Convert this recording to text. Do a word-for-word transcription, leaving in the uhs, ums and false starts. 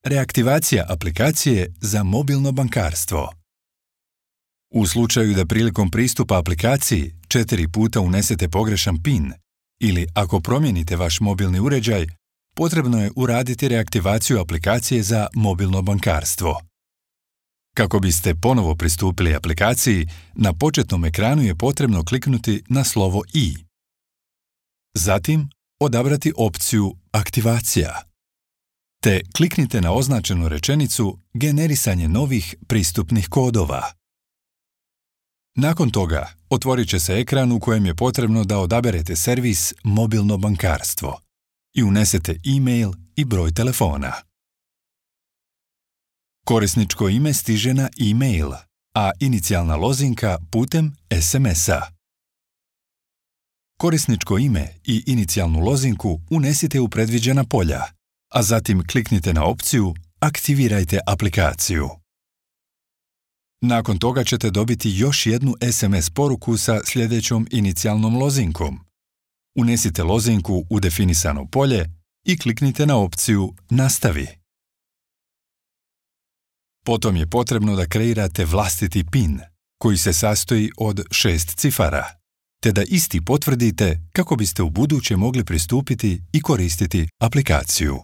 Reaktivacija aplikacije za mobilno bankarstvo. U slučaju da prilikom pristupa aplikaciji četiri puta unesete pogrešan PIN ili ako promijenite vaš mobilni uređaj, potrebno je uraditi reaktivaciju aplikacije za mobilno bankarstvo. Kako biste ponovo pristupili aplikaciji, na početnom ekranu je potrebno kliknuti na slovo I. Zatim, odabrati opciju Aktivacija. Te kliknite na označenu rečenicu Generisanje novih pristupnih kodova. Nakon toga, otvorit će se ekran u kojem je potrebno da odaberete servis Mobilno bankarstvo i unesete e-mail i broj telefona. Korisničko ime stiže na e-mail, a inicijalna lozinka putem es em es-a. Korisničko ime i inicijalnu lozinku unesite u predviđena polja, a zatim kliknite na opciju Aktivirajte aplikaciju. Nakon toga ćete dobiti još jednu es em es poruku sa sljedećom inicijalnom lozinkom. Unesite lozinku u definisano polje i kliknite na opciju Nastavi. Potom je potrebno da kreirate vlastiti PIN, koji se sastoji od šest cifara, te da isti potvrdite kako biste ubuduće mogli pristupiti i koristiti aplikaciju.